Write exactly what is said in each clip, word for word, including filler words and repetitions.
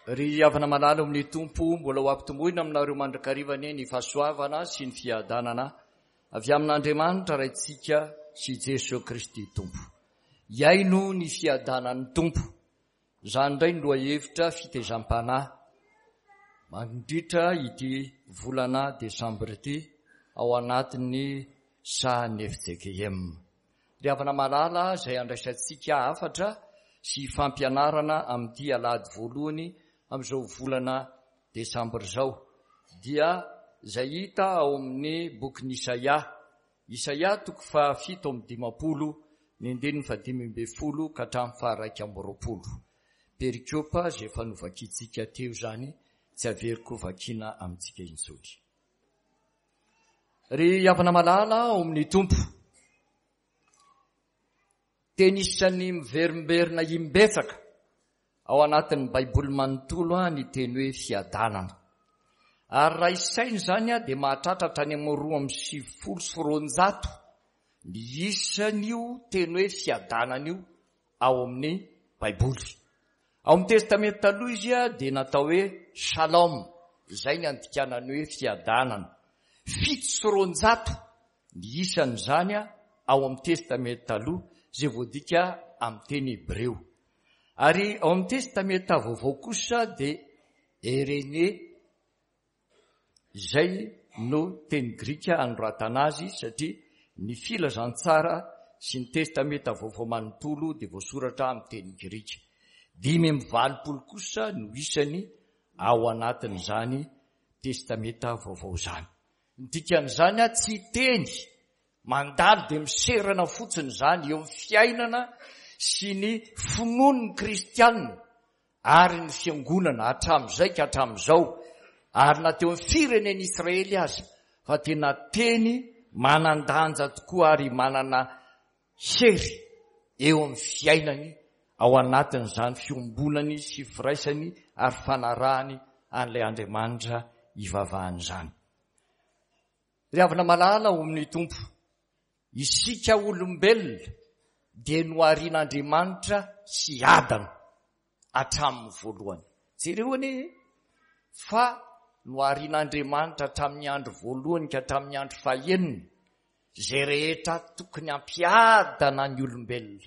Ry havana malala ao amin'ny Tompo, mbola ho ampitomboina aminareo mandrakariva anie ny fahasoavana sy ny fiadanana avy amin'Andriamanitra Raintsika sy Jesoa Kristy Tompo. Hiaino ny fiadanan'ny Tompo. Izany indray ny lohahevitra fitezam-panahy mandritra ity volana desambra ity ao anatin'ny sahan'ny F J K M. Ry havana malala izay andraisantsika hafatra sy fampianarana amin'ity alahady voalohany amin'izao volana desambra izao dia izay hita ao amin'ny bokin'i Isaia. Isaia toko fahafito amby dimampolo ny andininy fahadimy ambin'ny folo ka hatramin'ny faharaika amby roapolo. Perikopa izay efa novakintsika teo izany, tsy averiko vakiana amintsika intsony. Ry havana malala ao amin'ny Tompo, teny isan'ny miverimberina imbetsaka ao anatin'ny Baiboly manontolo ny teny hoe fiadanana. Ary raha isaina izany dia mahatratra hatrany amin'ny roa amby sivifolo sy roanjato ny isan'io teny hoe fiadanana io ao amin'ny Baiboly. Ao amin'ny Testamenta Taloha izy dia natao hoe Shalom, izay ny andikanany hoe fiadanana. Fito sy roanjato ny isan'izany ao amin'ny Testamenta Taloha izay voadika amin'ny teny hebreo. Ary ao amin'ny Testamenta Vaovao kosa dia Eirene, izay no teny grika anoratana azy, satria ny filazantsara sy ny Testamenta Vaovao manontolo dia voasoratra amin'ny teny grika. Dimy amby valopolo kosa no isany ao anatin'izany Testamenta Vaovao izany. Ny dikan'izany, tsy teny mandalo dia miserana fotsiny izany eo amin'ny fiainana sy ny finoan'ny kristianina ary ny fiangonana hatramin'izay ka hatramin'izao, ary na teo amin'ny firenen'i Israely aza, fa tena teny manan-danja tokoa ary manana hery eo amin'ny fiainany ao anatin'izany fiombonany sy firaisany ary fanarahany an'ilay Andriamanitra ivavahany izany. Ry havana malala ao amin'ny Tompo, isika olombelona dia noharian'Andriamanitra hiadana hatramin'ny voalohany. Jereo anie fa noharian'Andriamanitra hatramin'ny andro voalohany ka hatramin'ny andro fahenina, izay rehetra tokony hampiadana ny olombelona.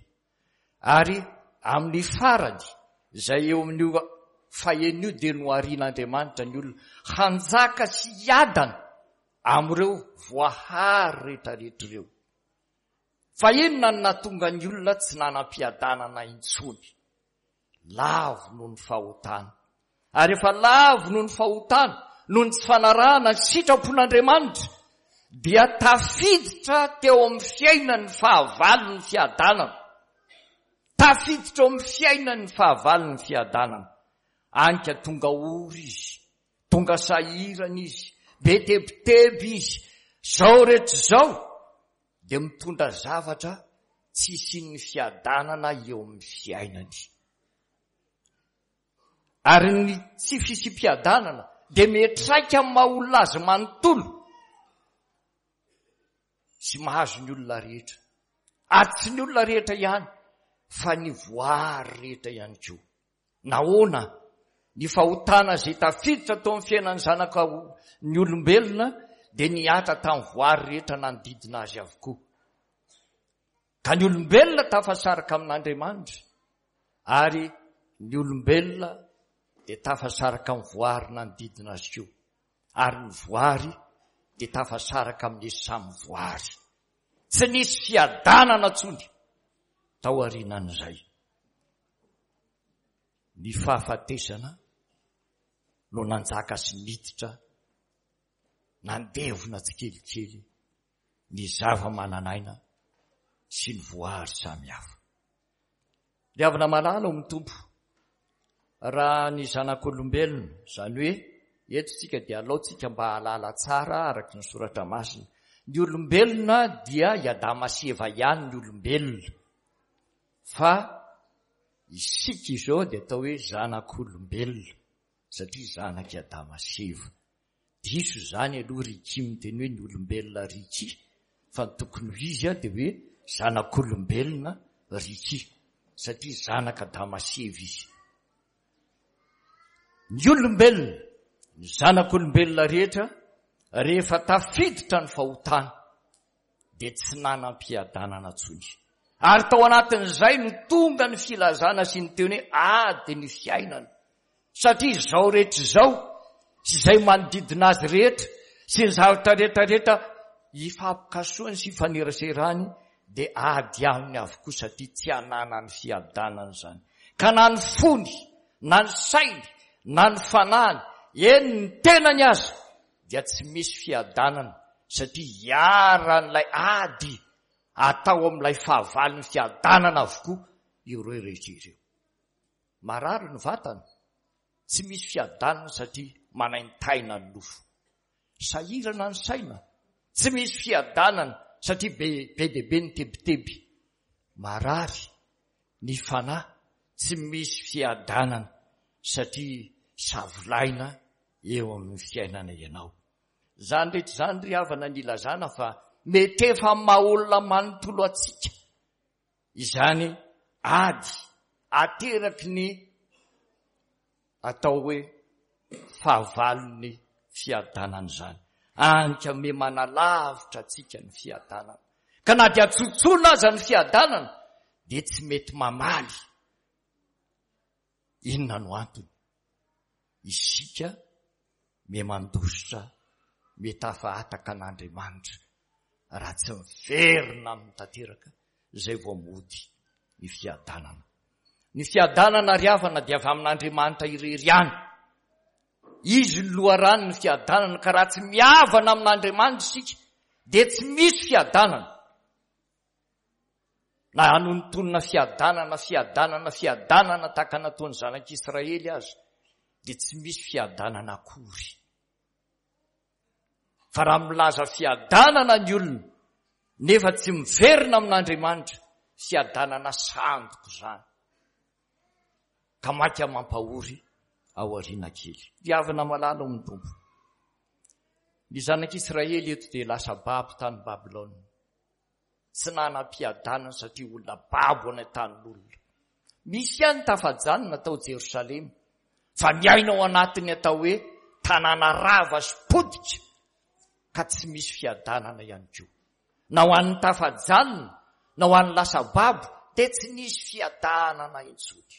Ary amin'ny farany, izay eo amin'io fahenina io dia noharian'Andriamanitra ny olona hanjaka sy hiadana amin'ireo voahary rehetrarehetra ireo. Fa inona no nahatonga ny olona tsy nanam-piadanana intsony? Lavo noho ny fahotana. Ary efa lavo noho ny fahotana, noho ny tsy fanarahana ny sitrapon'Andriamanitra, dia tafiditra teo amin'ny fiainan'ny fahavalon'ny fiadanana. Tafiditra eo amin'ny fiainan'ny fahavalon'ny fiadanana. Any ka tonga ory izy, tonga sahirana izy, be tebiteby izy. Zao rehetra izao dia mitondra zavatra tsy hisian'ny fiadanana eo amin'ny fiainany. Ary ny tsy fisiam-piadanana dia miantraika amin'ny maha olona azy manontolo sy mahazo ny olona rehetra. Ary tsy ny olona rehetra ihany fa ny voary rehetra ihany koa. Nahoana? Ny fahotana izay tafiditra tao amin'ny fiainan'ny zanaka ny olombelona dia nihatra tamin'ny voary rehetra nanodidina azy avokoa. Ka ny olombelona tafasaraka amin'Andriamanitra, ary ny olombelona dia tafasaraka amin'ny voary nanodidina azy koa. Ary ny voary dia tafasaraka amin'ny samy voary. Tsy nisy fiadanana intsony tao aorianan'izay. Ny fahafatesana no nanjaka sy niditra nandevona tsikelikely ny zava-manan'aina sy ny voary samihafa. Ry havana malala ao amin'ny Tompo, raha ny zanak'olombelona, izany hoe eto tsika dia alaontsika mba hahalala tsara araka ny soratra masina, ny olombelona dia i Adama sy Eva ihany ny olombelona, fa isika izao dia atao hoe zanak'olombelona satria zanak'i Adama sy Eva. Diso izany aloha Ricky miteny hoe ny olombelona Ricky, fa ny tokony ho izy dia hoe zanak'olombelona Ricky satria zanak'Adama sy Eva izy. Ny olombelona, ny zanak'olombelona rehetra, rehefa tafiditra ny fahotana, dia tsy nanam-piadanana intsony. Ary tao anatin'izay no tonga ny filazana sy ny teny hoe ady ny fiainana. Satria izao rehetra izao sy izay manodidina azy rehetra sy ny zavatra rehetra rehetra ifampikasohany sy ifaneraserany dia ady aminy avokoa satria tsy ananany fiadanana izany. Ka na ny fony, na ny sainy, na ny fanahiny, eny ny tenany aza dia tsy misy fiadanana satria iharan'ilay ady atao amin'ilay fahavalon'ny fiadanana avokoa ireo rehetra ireo. Marary ny vatana, tsy misy fiadanana satria manaintaina ny nofo. Sahirana ny saina, tsy misy fiadanana satria be be dia be ny tebiteby. Marary ny fanahy, tsy misy fiadanana satria savolaina eo amin'ny fiainana ianao. Izany rehetra izany ry havana ny ilazana fa mety efa amin'ny maha olona manontolo antsika izany ady ateraky ny atao hoe fahavalon'ny fiadanana izany. Any ka me manalavitra antsika ny fiadanana. Ka na dia tsotsoina aza ny fiadanana dia tsy mety mamaly. Inona no antony? Isika me mandositra, mitafahataka an'Andriamanitra raha tsy miverina aminy tanteraka izay vao mody ny fiadanana. Ny fiadanana ry havana dia avy amin'Andriamanitra irery ihany. Izy no loharanon'ny fiadanana, ka raha tsy mihavana amin'Andriamanitra isika dia tsy misy fiadanana. Na hanonontonona fiadanana, fiadanana, fiadanana tahaka nataon'ny zanak'Israely aza dia tsy misy fiadanana akory. Fa raha milaza fiadanana ny olona nefa tsy miverina amin'Andriamanitra, fiadanana sandoka izany. Ka maika mampahory ao aoriana kely. Ry havana malala ao amin'ny Tompo. Ny zanak'Israely eto dia lasa babo tany Babylona. Tsy nanam-piadanana satria olona babo any an-tanin'olona. Misy ihany tafajanona tao Jerosalema, fa miaina ao anatin'ny atao hoe tanàna rava sy potika, ka tsy misy fiadanana ihany koa. Na ho an'ny tafajanona, na ho an'ny lasa babo, dia tsy nisy fiadanana intsony.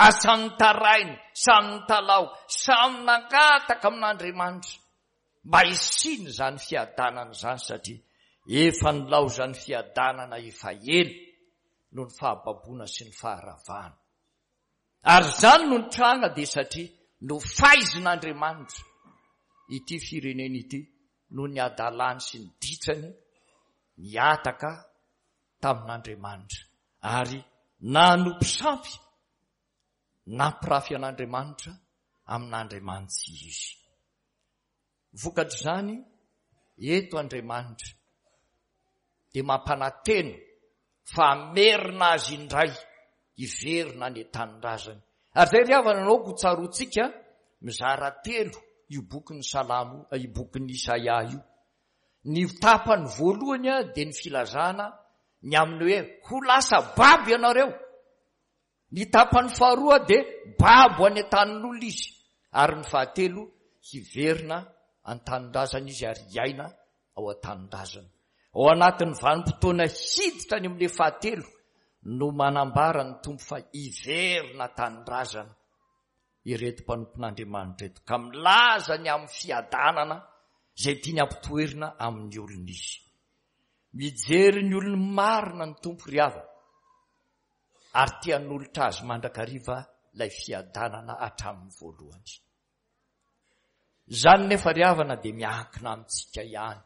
Ary samy nitaraina, samy nitalaho, samy nangataka amin'Andriamanitra mba hisiany izany fiadanana izany, satria efa nilaozan'ny fiadanana efa ela noho ny fahababoana sy ny faharavana. Ary izany no nitranga dia satria nofaizin'Andriamanitra ity firenena ity noho ny hadalany sy ny ditrany nihataka tamin'Andriamanitra ary nanompo sampy nampirafy an'Andriamanitra amin'Andriamanitsy izy. Vokatr'izany eto Andriamanitra dia mampanantena fa hamerina azy indray hiverina any an-tanindrazany. Ary izay ry havana no aoka ho tsaroantsika mizara telo io bokin'ny Salamo, io bokin'ny Isaia io. Ny tapany voalohany dia ny filazana ny amin'ny hoe ho lasa babo ianareo. Ny tapany faharoa dia babo any an-tanin'olona izy. Ary ny fahatelo hiverina an-tanindrazana izy ary hiaina ao an-tanindrazana. Ao anatin'ny vanim-potoana hiditra any amin'ilay fahatelo no manambara ny Tompo fa hiverina an-tanindrazana ireto mpanompon'Andriamanitra ireto, ka milaza ny amin'ny fiadanana izay tiany hampitoerina amin'ny olona izy. Mijery ny olony marina ny Tompo ry havana, ary te hanolotra azy mandrakariva ilay fiadanana hatramin'ny voalohany. Izany nefa ry havana dia miankina amintsika ihany.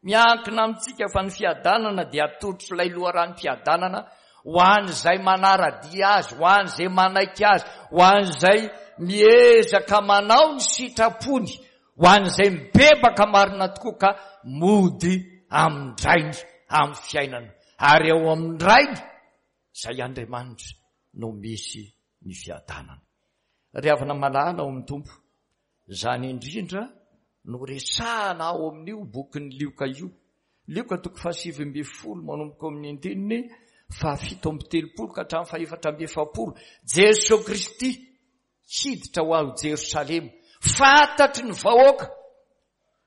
Miankina amintsika fa ny fiadanana dia atolotr'ilay loharanom-piadanana ho an'izay manara-dia azy, ho an'izay manaiky azy, ho an'izay miezaka manao ny sitrapony, ho an'izay mibebaka marina tokoa ka mody amin-drainy amin'ny fiainana. Ary ao amin-drainy izay Andriamanitra no misy ny fiadanana. Ry havana malala ao amin'ny Tompo, izany indrindra no resahana ao amin'io bokin'ny Lioka io. Lioka toko fahasivy ambin'ny folo manomboka amin'ny andininy fahafito amby telopolo ka hatramin'ny fahefatra amby efapolo. Jesoa Kristy hiditra ho ao Jerosalema. Fantatry ny vahoaka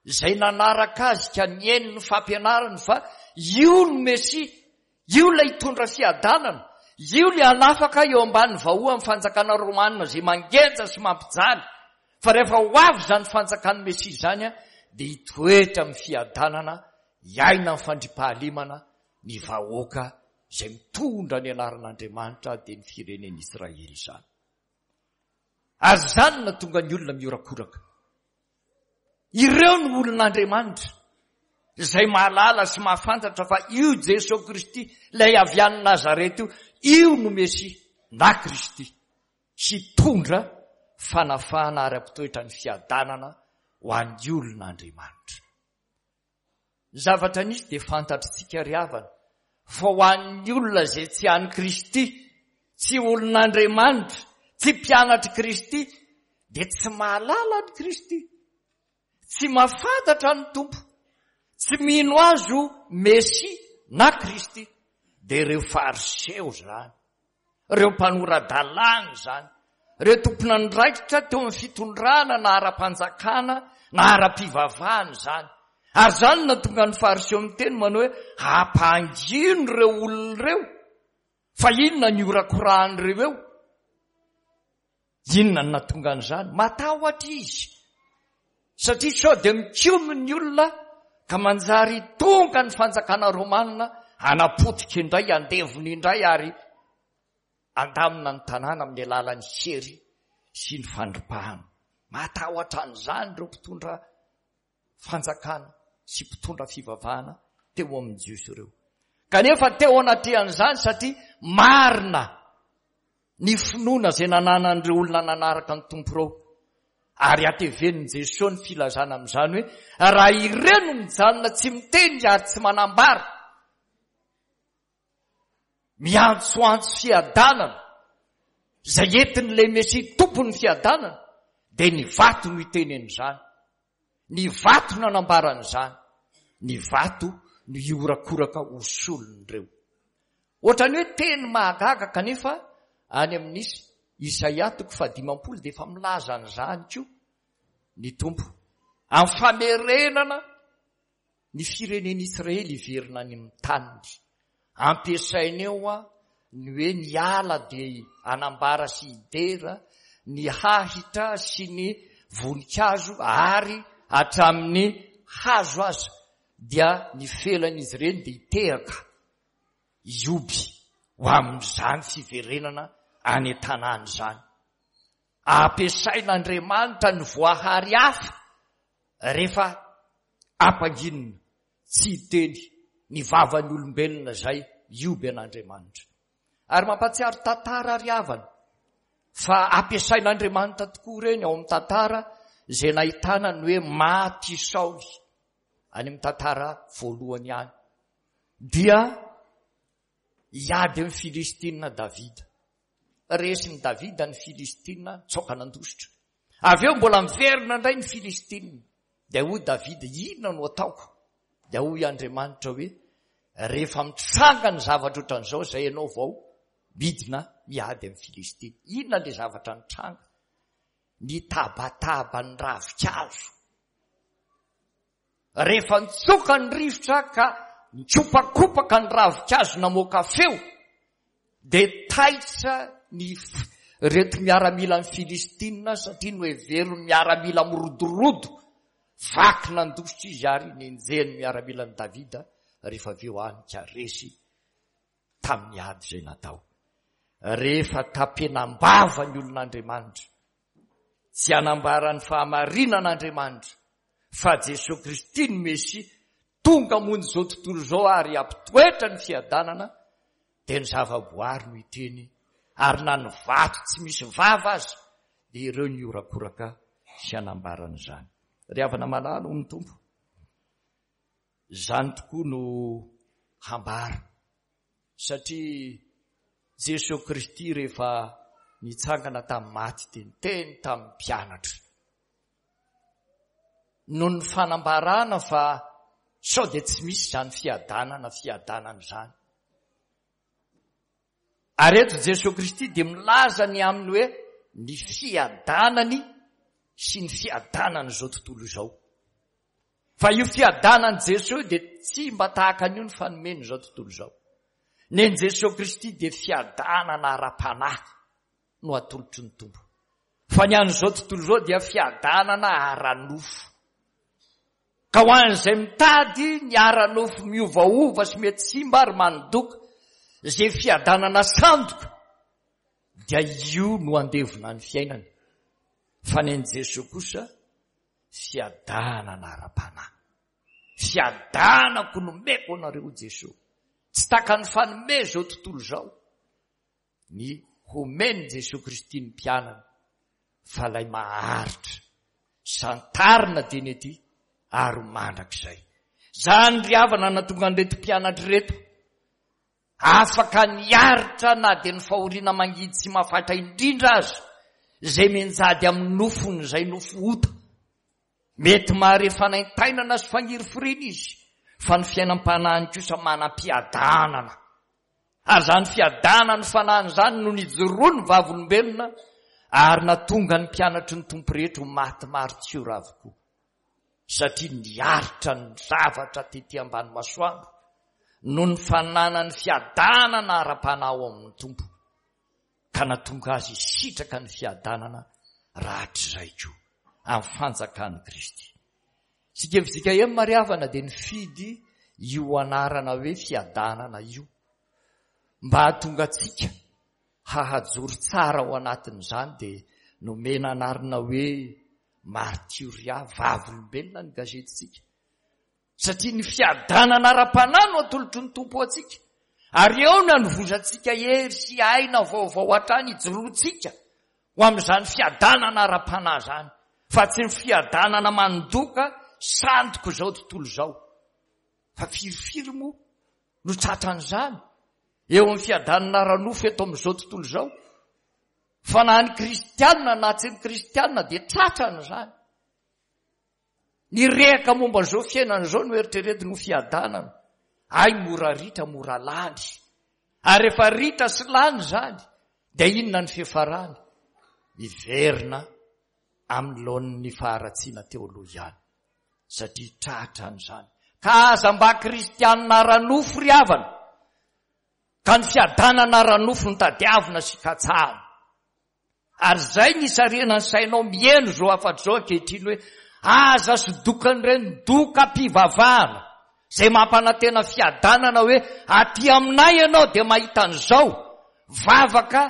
izay nanaraka azy ka nihaino ny fampianarany fa io no Mesia, io ilay hitondra fiadanana, io ilay hanafaka eo ambany vahoan'ny fanjakana romanina izay mangeja sy mampijaly. Fa rehefa ho avy izany fanjakan'ny Mesia izany dia hitoetra amin'ny fiadanana, hiaina amin'ny fandriampahalemana ny vahoaka izay mitondra ny anaran'Andriamanitra, dia ny firenen'Israely izany. Ary izany no nahatonga ny olona mihorakoraka. Ireo no olon'Andriamanitra izay mahalala sy mahafantatra fa io Jesoa Kristy, ilay avy any Nazareta io, io no Mesia na Kristy, hitondra fanafahana ary hampitoetra ny fiadanana ho an'ny olon'Andriamanitra. Ny zavatra nisy dia fantatritsika ry havana, fa ho an'ny olona izay tsy an'i Kristy, tsy olon'Andriamanitra, tsy mpianatr'i Kristy, dia tsy mahalala an'i Kristy, tsy mahafantatra ny Tompo, tsy mino azy ho Mesia na Kristy. Dia ireo Fariseo izany, ireo mpanora-dalàna izany, ireo tompon'andraikitra teo amin'ny fitondrana na ara-panjakana na ara-pivavahana izany. Ary izany no nahatonga ny Fariseo miteny manao hoe ampangino ireo olona ireo, fa inona ny horakorahan'ireo eo? Inona no nahatonga an'izany? Matahotra izy, satria sao dia mikomy ny olona ka manjary tonga ny fanjakana romanina hanapotika indray, handevona indray ary handamina ny tanàna amin'ny alalan'ny hery sy ny fandripahana. Matahotra an'izany ireo mpitondra fanjakana sy mpitondra fivavahana teo amin'ny Jiosy ireo. Kanefa teo anatrehan'izany, satria marina ny finoana izay nananan'ireo olona nanaraka ny Tompo ireo, ary hatevenin'i Jesoa ny filazana amin'izany hoe raha ireo no mijanona tsy miteny ary tsy manambara, miantsoantso fiadanana izay entin'ilay Mesia tompon'ny fiadanana, dia ny vato no hiteny an'izany, ny vato nanambaran'izany, ny vato no hiorakoraka ho solon'ireo. Ohatran'ny hoe teny mahagaga, kanefa any amin'ny Isaia toko fahadimampolo dia efa milaza an'izany koa ny Tompo amin'ny famerenana ny firenen'Israely hiverina any amin'ny taniny. Ampiasaina eo ny hoe ny ala dia hanambara sy hidera, ny hahitra sy ny voninkazo ary hatramin'ny hazo aza dia ny felan'izy ireny dia hitehaka hioby ho amin'izany fiverenana any an-tanàna izany. Ampiasain'Andriamanitra ny voahary hafa rehefa ampanginina tsy hiteny ny vavan'ny olombelona izay hioby an'Andriamanitra. Ary mampahatsiaro tantara ry havana fa ampiasain'Andriamanitra tokoa ireny ao amin'ny tantara izay nahitana ny hoe maty Saoly any amin'ny tantara voalohany ihany. Dia hiady amin'ny Filistina Davida. Resin'i Davida ny Filistina, nitsoaka nandositra. Avy eo mbola miverina indray ny Filistina. Dia hoy Davida, inona no ataoko? Dia hoy Andriamanitra hoe rehefa mitranga ny zavatra ohatran'izao izay ianao vao midina miady amin'ny Filistina. Inona ilay zavatra nitranga? Ny tabataba ny ravinkazo. Rehefa nitsoka ny rivotra ka nikopakompaka ny ravinkazo namoaka feo, dia taitra ny reto miaramilan'ny Filistina satria noheverin'ny miaramila mirodorodo, vaky nandositra izy ary nenjehin'ny miaramilan'i Davida rehefa avy eo any ka resy tamin'ny ady izay natao. Rehefa tapenam-bava ny olon'Andriamanitra, tsy hanambara ny fahamarinan'Andriamanitra fa Jesoa Kristy ny Mesia tonga hamonjy izao tontolo izao ary hampitoetra ny fiadanana, dia ny zavaboary no hiteny, ary na ny vato tsy misy vava aza dia ireo ny horakoraka sy hanambarana izany. Ry havana malala, hoy ny Tompo, izany tokoa no hambara, satria Jesoa Kristy rehefa nitsangana tamin'ny maty dia niteny tamin'ny mpianatra noho ny fanambarana fa sao dia tsy misy izany fiadanana fiadanana izany. Ary eto Jesoa Kristy dia milaza ny aminy hoe ny fiadanany sy ny fiadanan'izao tontolo izao. Fa io fiadanan'i Jesoa io dia tsy mba tahaka an'io ny fanomen'izao tontolo izao. Ny an'i Jesoa Kristy dia fiadanana ara-panahy no atolotry ny Tompo. Fa ny an'izao tontolo izao dia fiadanana ara-nofo. Ka ho an'izay mitady ny ara-nofo miovaova sy mety simba ary mandoka izay fiadanana sandoka dia io no andevona ny fiainany. Fa ny an'i Jesoa kosa fiadanana ara-panahy. Fiadanako nomeko anareo Jesoa. Tsy tahaka ny fanome izao tontolo izao ny homen'i Jesoa Kristy ny mpianany fa ilay maharitra santarina teny ety ary mandrakizay. Izany ry havana nahatonga an'ireto mpianatra ireto afaka niaritra na dia ny fahoriana mangidy sy mahafaitra indrindra aza izay mianjady amin'ny nofony izay nofo ota. Mety mahare fanaintainana sy fangirifiriana izy fa ny fiainam-panahiny kosa manam-piadanana. Ary izany fiadanan'ny fanahiny izany no nijoroan'ny vavolombelona ary nahatonga ny mpianatry ny Tompo rehetra ho maty maritiora avokoa. Satria niaritra ny zavatra tety ambany masoandro noho ny fananany fiadanana ara-panahy ao amin'ny Tompo ka nahatonga azy hisitraka ny fiadanana rahatrizay koa amin'ny fanjakan'i Kristy. Isika F J K M ry havana dia nifidy io anarana hoe fiadanana io mba hahatonga antsika hahajoro tsara ao anatin'izany dia nomena anarana hoe Martyria, vavolombelona ny gazetintsika. Satria ny fiadanana ara-panahy no atolotry ny Tompo antsika. Ary eo no anovozantsika hery sy aina vaovao hatrany hijoroantsika ho amin'izany fiadanana ara-panahy izany. Fa tsy ny fiadanana mandoka sandoko izao tontolo izao. Fa firifiry moa no tratran'izany eo amin'ny fiadanana ara-nofo eto amin'izao tontolo izao. Fa na ny kristianina na tsy ny kristianina dia tratran'izany. Ny rehaka momba izao fiainana izao no eritreretiny ho fiadanana. Ay, mora ritra, mora lany. Ary rehefa ritra sy lany izany, dia inona ny fiafarany? Miverina amin'ny laoniny faharatsiana teo aloha ihany. Satria tratran'izany. Ka aza mba kristianina ara-nofo ry havana. Ka ny fiadanana ara-nofo no tadiavina sy katsahana. Ary izay ny isarihana ny sainao mihaino izao hafatra izao ankehitriny hoe aza sodokan'ireny dokam-pivavahana izay mampanantena fiadanana hoe aty aminay ianao dia mahita an'izao vavaka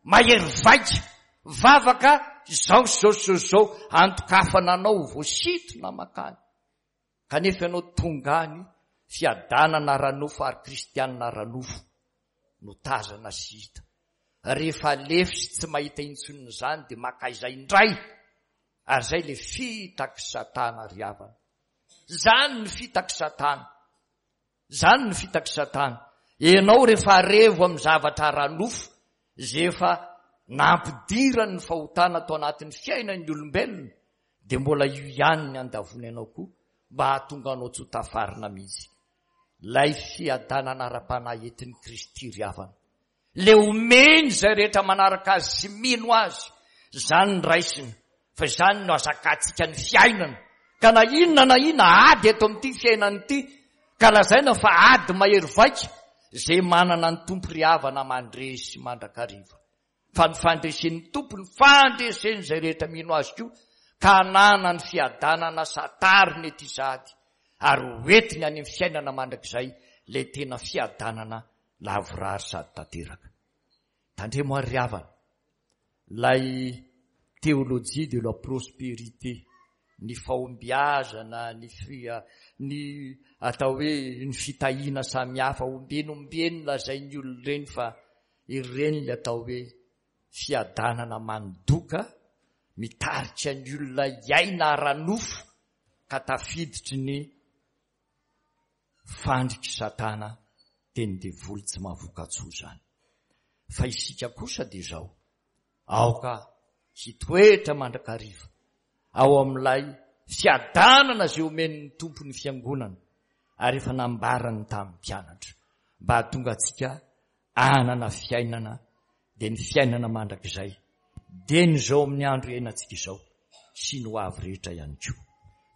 mahery vaika, vavaka izao sy izao sy izao izao, antokafana anao ho voasintona mankany. Kanefa ianao tonga any fiadanana ara-nofo ary kristianina ara-nofo no tazana sy hita. Rehefa lefy sy tsy mahita intsony izany dia makaiza indray. Ary izay ilay fitaky Satana ry havana. Izany ny fitaky Satana. Izany ny fitaky Satana. Ianao rehefa revo amin'ny zavatra ara-nofo izay efa nampidirany ny fahotana tao anatin'ny fiainan'ny olombelona dia mbola io ihany ny andavony anao koa mba hahatonga anao tsy ho tafarina mihitsy. Ilay fiadanana ara-panahy entin'i Kristy ry havana. Le omeny izay rehetra manaraka azy sy mino azy, izany ny raisina, fa izany no azakantsika ny fiainana. Ka na inona na inona ady eto amin'ity fiainana ity, ka lazaina fa ady mahery vaika, izay manana ny Tompo ry havana mandresy mandrakariva. Fa ny fandresen'ny Tompo, ny fandresen'izay rehetra mino azy koa, ka hanana ny fiadanana satariny ety sady, ary hoentiny any amin'ny fiainana mandrakizay ilay tena fiadanana lavorary sady tanteraka. Tandremo ary ry havana, ilay théologie de la prospérité, ny fahombiazana, ny fia-, ny atao hoe ny fitahiana samihafa, ombieny ombieny lazain'ny olona ireny fa ireny ilay atao hoe fiadanana mandoka, mitarika ny olona hiaina ara-nofo ka tafiditry ny fandriky Satana teny devoly tsy mahavoka-tsoa izany. Fa isika kosa dia izao, aoka hitoetra mandrakariva ao amin'ilay fiadanana izay omen'ny Tompo ny fiangonana ary efa nambarany tamin'ny mpianatra mba hahatonga antsika hanana fiainana dia ny fiainana mandrakizay Dieny izao amin'ny andro iainantsika izao sy ny ho avy rehetra ihany koa.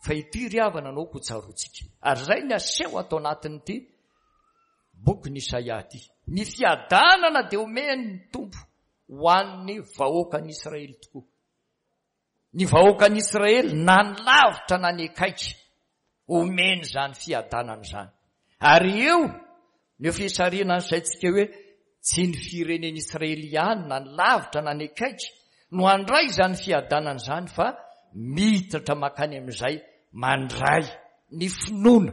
Fa ity ry havana no aoka ho tsaroantsika. Ary izay ny aseho ato anatin'ity bokin'i Isaia ity. Ny fiadanana dia omen'ny Tompo ho an'ny vahoakan'Israely tokoa. Ny vahoakan'Israely na ny lavitra na ny akaiky, omeny izany fiadanana izany. Ary eo no fisarihana ny saintsika hoe tsy ny firenen'Israely ihany na ny lavitra na ny akaiky no handray izany fiadanana izany fa miditra mankany amin'izay mandray ny finoana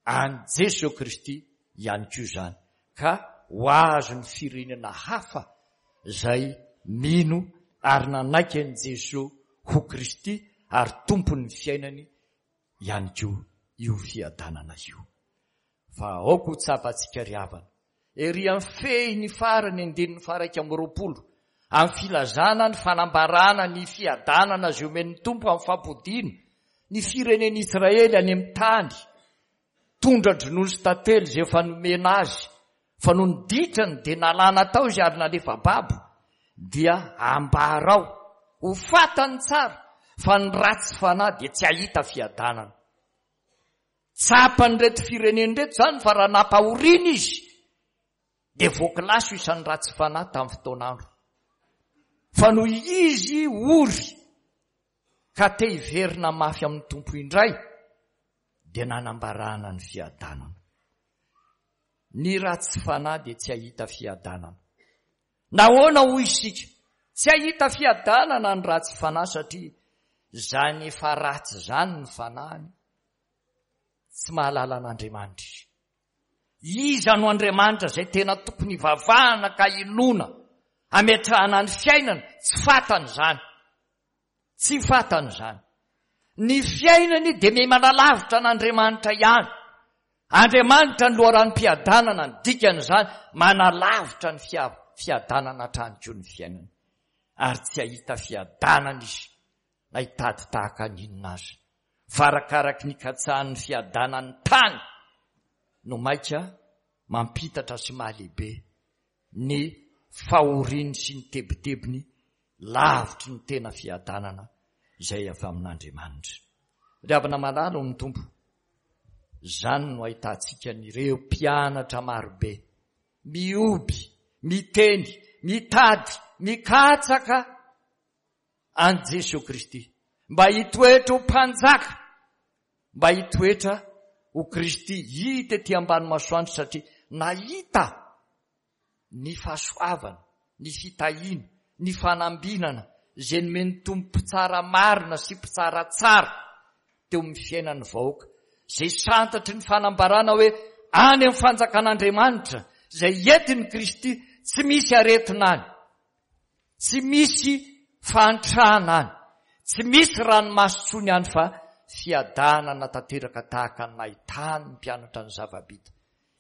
an'i Jesoa Kristy ihany koa izany ka ho azon'ny firenena hafa izay mino ary nanaiky an'i Jesoa ho Kristy ary Tompon'ny fiainany ihany koa io fiadanana io. Fa aoka ho tsapantsika ry havana, ery amin'ny fehiny farany andininy faha-iraika amby roapolo, amin'ny filazana ny fanambarana ny fiadanana izay omen'ny Tompo amin'ny fampodiana ny firenen'Israely any amin'ny tany tondra-dronono sy tantely izay efa nomena azy, fa nony ditrany dia nalana tao izy ary nalefa babo, dia ambarao ho fantany tsara fa ny ratsy fanahy dia tsy hahita fiadanana. Tsapan'ireto firenena ireto izany fa raha nampahoriana izy dia voakilasy ho isan'ny ratsy fanahy tamin'ny fotoan'andro. Fa noho izy ory ka te hiverina mafy amin'ny Tompo indray dia nanambarana ny fiadanana. Ny ratsy fanahy dia tsy hahita fiadanana. Nahoana hoy isika? Tsy hahita fiadanana ny ratsy fanahy satria izany efa ratsy izany ny fanahiny. Tsy mahalala an'Andriamanitra izy. Iza no Andriamanitra izay tena tokony hivavahana ka hinoana, hametrahana ny fiainana? Tsy fantany izany. Tsy fantany izany. Ny fiainany dia miha manalavitra an'Andriamanitra ihany. Andriamanitra ny loharanom-piadanana, ny dikan'izany, manalavitra ny fiadanana hatrany koa ny fiainany. Ary tsy hahita fiadanana izy na hitady tahaka ny inona aza. Fa arakaraky ny ikatsahan'ny fiadanan'ny tany no maika mampitatra sy mahalehibe ny fahoriany sy ny tebitebiny lavitry ny tena fiadanana izay avy amin'Andriamanitra. Ry havana malala ao amin'ny Tompo, izany no ahitantsika an'ireo mpianatra marobe mihoby, miteny, mitady, mikatsaka an'i Jesoa Kristy mba hitoetra ho mpanjaka, mba hitoetra ho Kristy hita ety ambany masoandro satria nahita ny fahasoavana, ny fitahiana, ny fanambinana izay nomen'ny Tompo mpitsara marina sy mpitsara tsara teo amin'ny fiainan'ny vahoaka, izay santatry ny fanambarana hoe any amin'ny fanjakan'Andriamanitra izay entin'i Kristy, tsy misy aretina any, tsy misy fahantrana any, tsy misy ranomaso intsony any fa fiadanana tanteraka tahaka ny nahitany ny mpianatra ny zava-bita.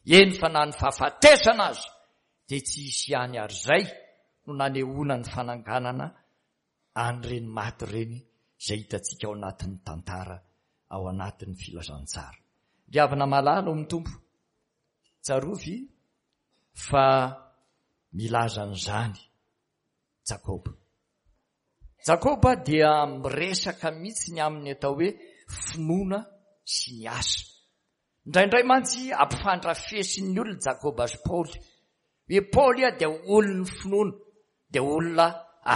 Eny fa na ny fahafatesana aza dia tsy hisy ihany ary izay no nanehoana ny fananganana an'ireny maty ireny izay hitantsika ao anatin'ny tantara, ao anatin'ny filazantsara. Ry havana malala ao amin'ny Tompo, tsarovy fa milaza an'izany Jakoba. Jakoba dia miresaka mihitsy ny amin'ny atao hoe finoana sy ny asa. Indraindray mantsy ampifandrafesin'ny olona Jakoba sy Paoly. Hoe Paoly dia olon'ny finoana, dia olona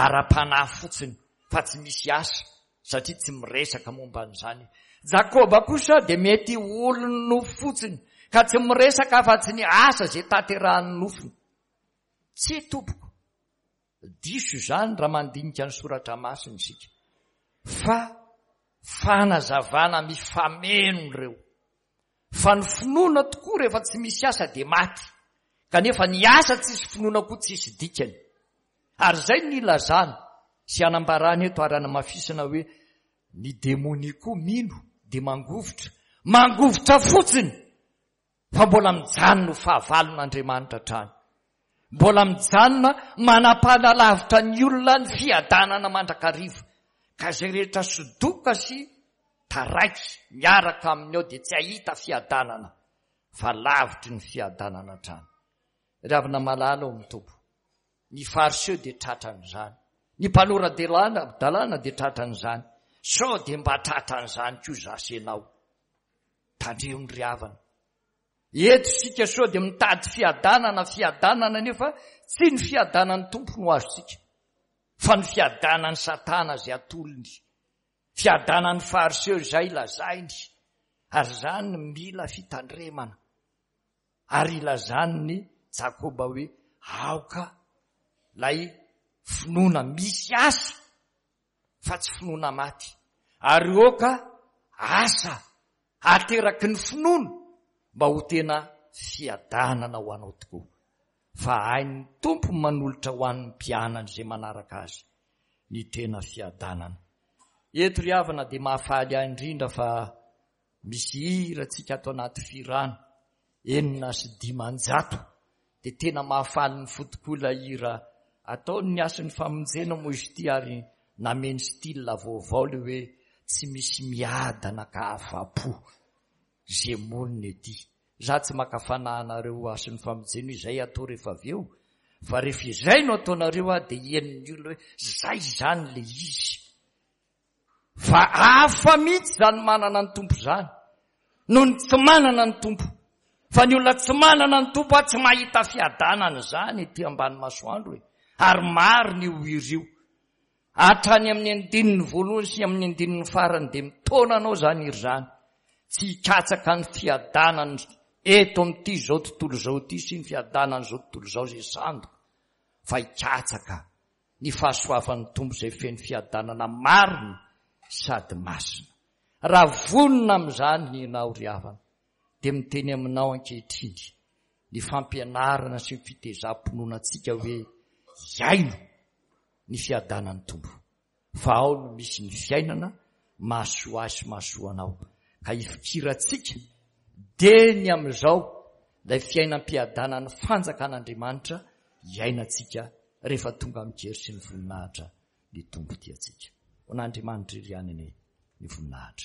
ara-panahy fotsiny fa tsy misy asa satria tsy miresaka momba an'izany. Jakoba kosa dia mety olon'ny nofo fotsiny ka tsy miresaka afa-tsy ny asa izay tanterahan'ny nofony. Tsia tompoko, diso izany raha mandinika ny soratra masina isika fa fanazavana mifameno ireo. Fa ny finoana tokoa rehefa tsy misy asa dia maty, kanefa ny asa tsisy finoana koa tsisy dikany. Ary izay no ilazana sy anambarana eto ary anamafisana hoe ny demonia koa mino dia mangovitra, mangovitra fotsiny fa mbola mijanona ho fahavalon'Andriamanitra hatrany. Mbola mijanona manam-panalavitra ny olona ny fiadanana mandrakariva. Ka izay rehetra sodoka sy taraiky miaraka aminy ao dia tsy hahita fiadanana fa lavitry ny fiadanana hatrany. Ry havana malala ao amin'ny Tompo, ny Fariseo dia tratran'izany. Ny mpanora-dalàna dalàna dia tratran'izany. Sao dia mba tratran'izany koa za sy ianao. Tandremo ry havana. Eto isika sao dia mitady fiadanana, fiadanana nefa tsy ny fiadanan'ny Tompo no azontsika, fa ny fiadanan'ny Satana izay atolony. Fiadanan'ny Fariseo izay lazainy. Ary izany mila fitandremana. Ary ilazan'ny Jakoba hoe aoka ilay finoana misy asa fa tsy finoana maty. Ary aoka asa ateraky ny finoana mba ho tena fiadanana ho anao tokoa. Fa hain'ny Tompo manolotra ho an'ny mpianany izay manaraka azy ny tena fiadanana. Eto ry havana dia mahafaly ahy indrindra fa misy hira tsika ato anaty fihirana enina sy dimanjato dia tena mahafaly ny fo tokoa ilay hira ataony ny Hasin'ny Famonjena moa izy ity ary nameno style vaovao ilay hoe tsy misy miadana ka afa-po ze monina ety. Za tsy maka fanahy anareo Hasin'ny Famonjena izay atao rehefa avy eo fa rehefa izay no ataonareo aho dia henon'ny olona hoe zay izany le izy. Fa hafa mihitsy izany manana ny Tompo izany noho ny tsy manana ny Tompo. Fa ny olona tsy manana ny Tompo aho tsy mahita fiadanana izany ety ambany masoandro e. Ary marina io hira io. Hatrany amin'ny andininy voalohany sy amin'ny andininy farany dia mitaona anao izany hira izany. Tsy hikatsaka ny fiadanana eto amin'ity izao tontolo izao ity sy ny fiadanan'izao tontolo izao izay sandoka fa hikatsaka ny fahasoavan'ny Tompo izay feno fiadanana marina sady masina. Raha vonona amin'izany ianao ry havana dia miteny aminao ankehitriny ny fampianarana sy ny fitezam-pinoana antsika hoe iaino ny fiadanan'ny Tompo fa ao no misy ny fiainana mahasoa ahy sy mahasoa anao ka hifikirantsika dia ny amin'izao ilay fiainam-piadanan'ny fanjakan'Andriamanitra iainantsika rehefa tonga mijery sy ny voninahitra ny Tompo tiantsika. Ho an'Andriamanitra irery ihany anie ny voninahitra.